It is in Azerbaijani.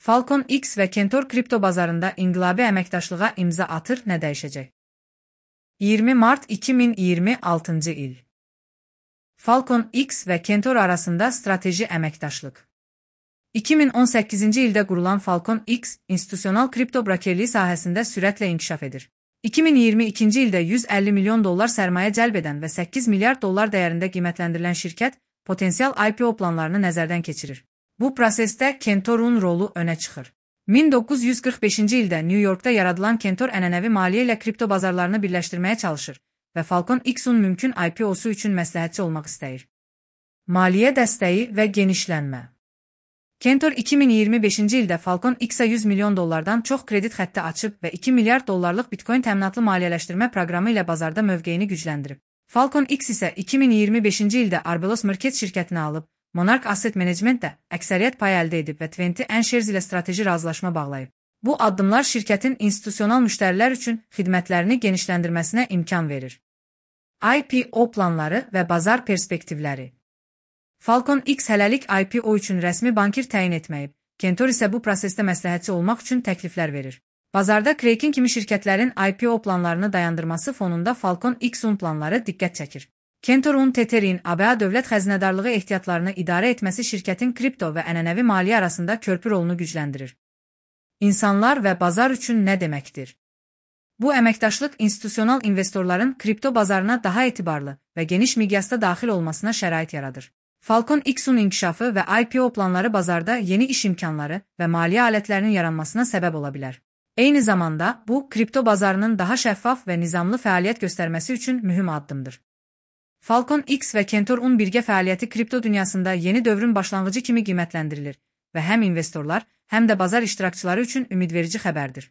Falcon X və Kentor kripto bazarında inqilabi əməkdaşlığa imza atır, nə dəyişəcək? 20 mart 2026 il. Falcon X və Kentor arasında strateji əməkdaşlıq. 2018-ci ildə qurulan Falcon X, institusional kripto brokerliyi sahəsində sürətlə inkişaf edir. 2022-ci ildə $150 milyon sərmayə cəlb edən və $8 milyard dəyərində qiymətləndirilən şirkət potensial IPO planlarını nəzərdən keçirir. Bu prosesdə Kentor'un rolu önə çıxır. 1945-ci ildə New Yorkda yaradılan Kentor ənənəvi maliyyə ilə kripto bazarlarını birləşdirməyə çalışır və Falcon X-un mümkün IPO-su üçün məsləhətçi olmaq istəyir. Maliyyə dəstəyi və genişlənmə. Kentor 2025-ci ildə Falcon X-a $100 milyon çox kredit xətti açıb və $2 milyard Bitcoin təminatlı maliyyələşdirmə proqramı ilə bazarda mövqeyini gücləndirib. Falcon X isə 2025-ci ildə Arbelos Markets şirkətini alıb, Monarch Asset Management-də əksəriyyət pay əldə edib və 20 Shares ilə strateji razılaşma bağlayıb. Bu addımlar şirkətin institusional müştərilər üçün xidmətlərini genişləndirməsinə imkan verir. IPO planları və bazar perspektivləri. Falcon X hələlik IPO üçün rəsmi bankir təyin etməyib, Kentor isə bu prosesdə məsləhətçi olmaq üçün təkliflər verir. Bazarda Kraken kimi şirkətlərin IPO planlarını dayandırması fonunda Falcon X-un planları diqqət çəkir. Kentor'un Tether'in ABA dövlət xəzinədarlığı ehtiyatlarını idarə etməsi şirkətin kripto və ənənəvi maliyyə arasında körpü rolunu gücləndirir. İnsanlar və bazar üçün nə deməkdir? Bu əməkdaşlıq institusional investorların kripto bazarına daha etibarlı və geniş miqyasda daxil olmasına şərait yaradır. Falcon X-un inkişafı və IPO planları bazarda yeni iş imkanları və maliyyə alətlərinin yaranmasına səbəb ola bilər. Eyni zamanda, bu, kripto bazarının daha şəffaf və nizamlı fəaliyyət göstərməsi üçün mühüm addımdır. Falcon X və Kentor'un birgə fəaliyyəti kripto dünyasında yeni dövrün başlanğıcı kimi qiymətləndirilir və həm investorlar, həm də bazar iştirakçıları üçün ümidverici xəbərdir.